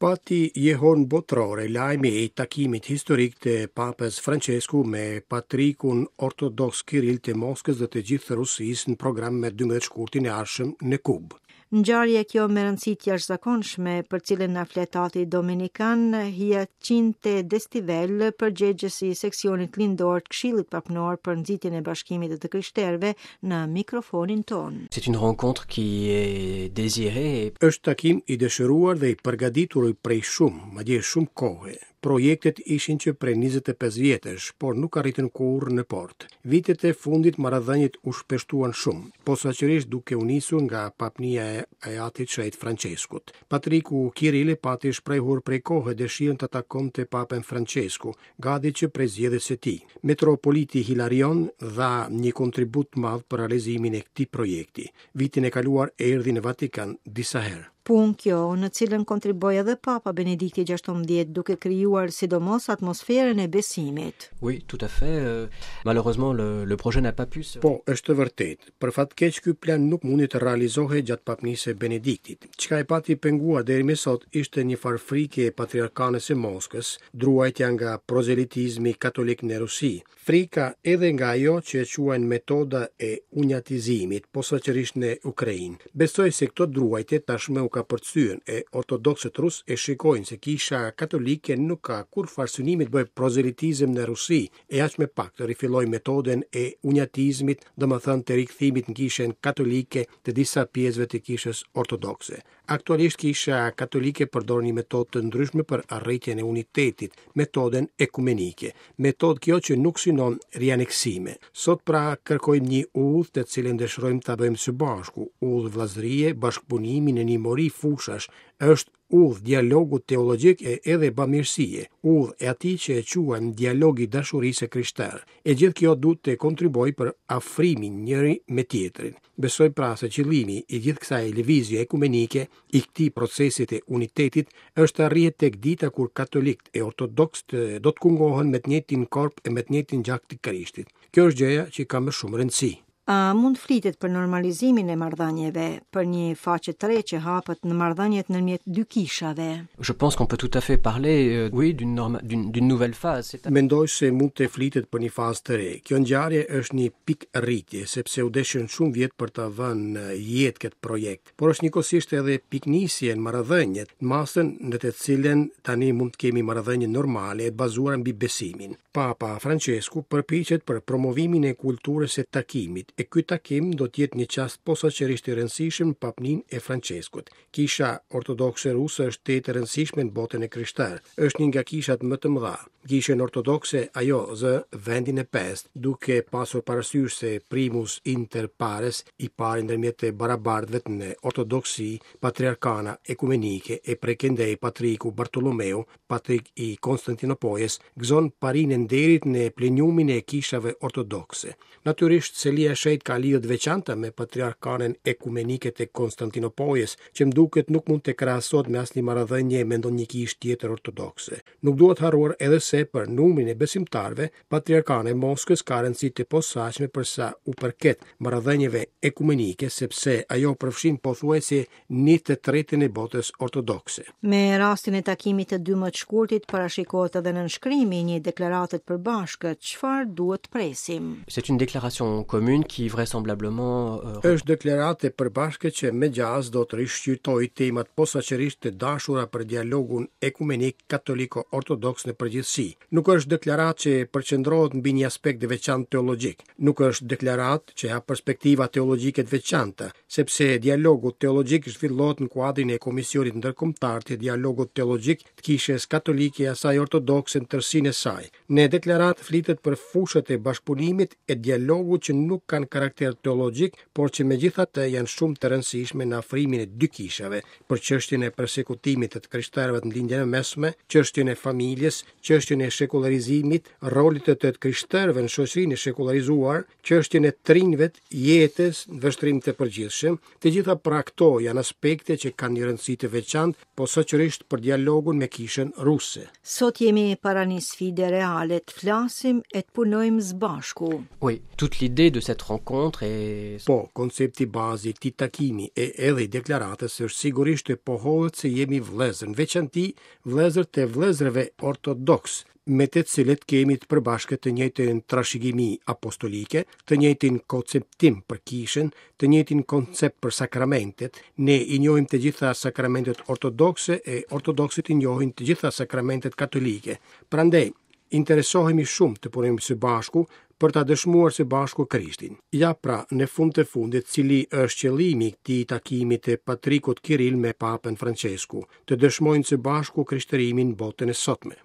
Pati jehonë botërore lajmi i takimit historik të Papës Françesku me Patrikun Ortodoks Kiril të Moskës dhe të gjithë Rusisë në program me 12 shkurtin e ardhshëm në Kubë. Ngjarje kjo me rëndësi të jashtëzakonshme, për cilën na flet ati dominikan Hyacinthe Destivel, përgjegjës i seksionit lindor të Këshillit Papnor për nxitjen e bashkimit të të krishterëve në mikrofonin tonë. C'est une rencontre qui est désirée. Është takim i dëshiruar dhe i përgatitur prej shumë, madje shumë kohe. Projektet ishin që prej 25 vjetësh, por nuk arritën kurrë në port. Vitet e fundit marrëdhëniet u shpeshtuan shumë, posaçërisht duke u nisur nga papnia e Atit Shenjt Françeskut. Patriku Kiril pati shprehur prej kohe dëshirën të takonte Papën Françesku, gati që prej zgjedhjes së tij. Metropoliti Hilarion dha një kontribut të madh për realizimin e këtij projekti. Vitin e kaluar erdhi në Vatikan disa herë. Punë kjo në cilën kontribuoi edhe Papa Benedikti XVI duke krijuar sidomos atmosferën e besimit. Oui, tout à fait. Euh, malheureusement, le, le projet n'a pas pu se... Po, është e vërtetë. Për fat keq ky plan nuk mundi të realizohej gjatë papnisë së Benediktit. Çka e pati penguar deri më sot ishte një farë frike e patriarkanës së Moskës, druajtja nga prozelitizmi katolik në Rusi, Frika edhe nga ajo që e quajnë metoda e unjatizimit, posaçërisht në Ukrainë. Besoj se këto druajtje tashmë u kapërcyen e ortodoksët rusë e shikojnë se Kisha Katolike nuk ka kurrfarë synimi të bëjë prozelitizëm në Rusi e aq më pak të rifillojë metodën e unjatizmit, domethënë të rikthimit në Kishën Katolike të disa pjesëve të Kishës Ortodokse. Aktualisht Kisha Katolike përdor një metodë të ndryshme për arritjen e unitetit, metodën ekumenike. Metodë kjo që nuk synon rianeksime. Sot pra kërkojmë një udhë të cilën dëshirojmë ta bëjmë së bashku, udhë vëllazërie, bashkëpunimi në një mori fushash, është udhë dialogu teologjik e edhe bamirësie, udhë e atij që e quajmë dialog i dashurisë së krishterë. E gjithë kjo duhet të kontribuojë për afrimin njëri me tjetrin. Besoj pra se qëllimi i gjithë kësaj lëvizje ekumenike, i këtij procesi të unitetit, është të arrihet tek dita kur katolikët e ortodoksët do të kungohen me të njëjtin korp e me të njëjtin gjak të Krishtit. Kjo është gjëja që ka më shumë rëndësi. A mund të flitet për normalizimin e marrëdhënieve, për një faqe të re që hapet në marrëdhëniet ndërmjet dy kishave? Je pense qu'on peut tout à fait parler, euh, oui, d'une norma, d'une d'une nouvelle phase. Mendoj se mund të flitet për një fazë të re. Kjo ngjarje është një pikërritje, sepse u deshën shumë vjet për ta vënë në jetë këtë projekt, por është njëkohësisht edhe pikënisje në marrëdhëniet, në masën në të cilën tani mund të kemi marrëdhënie normale e të bazuara mbi besimin. Papa Françesku përpiqet për promovimin e kulturës së takimit, e ky takim do të jetë një çast posaçërisht i rëndësishëm në papninë e Françeskut. Kisha Ortodokse Ruse është tejet e rëndësishme në botën e krishterë. Është një nga kishat më të mëdha. Kishën Ortodokse ajo zë vendin e pestë, duke pasur parasysh se primus inter pares, i pari ndërmjet të barabartëve në ortodoksi, patriarkana ekumenike e prej këndej patriku Bartolomeu, patrik i Konstantinopojës, gëzon parinë e nderit në plenumin e kishave ortodokse. Natyrisht, Selia e Shenjtë ka lidhje të veçanta me Patriarkanën Ekumenike të Konstantinopojës, që më duket nuk mund të krahasohet me asnjë marrëdhënie me ndonjë kishë tjetër ortodokse. Nuk duhet harruar edhe se për numrin e besimtarëve, Patriarkana e Moskës ka rëndësi të posaçme për sa u përket marrëdhënieve ekumenike, sepse ajo përfshin pothuajse një të tretën e botës ortodokse. Me rastin e takimit të 12 shkurtit parashikohet edhe nënshkrimi i një deklarate të përbashkët, çfarë duhet të presim? C'est une déclaration commune qui vraisemblablement euh, Është deklaratë e përbashkët që me gjasë do të rishqyrtojë temat posaçërisht të dashura për dialogun ekumenik katoliko-ortodoks në përgjithësi. Nuk është deklaratë që përqendrohet mbi një aspekt të veçantë teologjik. Nuk është deklaratë që hap perspektiva teologjike të veçanta, sepse dialogu teologjik zhvillohet në kuadrin e Komisionit Ndërkombëtar të Dialogut Teologjik të Kishës Katolike e asaj Ortodokse në tërësinë e saj. Në deklaratë flitet për fushat e bashkëpunimit e dialogut që nuk kanë karakter teologjik, por që megjithatë janë shumë të rëndësishme në afrimin e dy kishave, për çështjen e persekutimit të të krishterëve në Lindjen e Mesme, çështjen e familjes, çështjen e shekullarizimit, rolit të të krishterëve në shoqërinë e shekullarizuar, çështjen e të rinjve, jetës në vështrim të përgjithshëm, të gjitha pra këto janë aspekte që kanë një rëndësi të veçantë, posaçërisht për dialogun me kishën ruse. Sot jemi para një sfide reale, të flasim e të punojmë së bashku. Oui, toute l'idée de cette rencontre et Po, koncepti bazë i këtij takimi e edhe i deklaratës është sigurisht të pohohet se jemi vëllezër, në veçanti vëllezër të vëllezërve ortodoks, me të cilët kemi të përbashkët të njëjtën trashëgimi apostolike, të njëjtin konceptim për kishën, të njëjtin koncept për sakramentet. Ne i njohim të gjitha sakramentet ortodokse e ortodoksët i njohin të gjitha sakramentet katolike. Prandaj, interesohemi shumë të punojmë së bashku për ta dëshmuar së bashku Krishtin. Ja pra, në fund të fundit, cili është qëllimi i këtij takimi të Patrikut Kiril me Papën Francesku, të dëshmojnë së bashku krishtërimin në botën e sotme.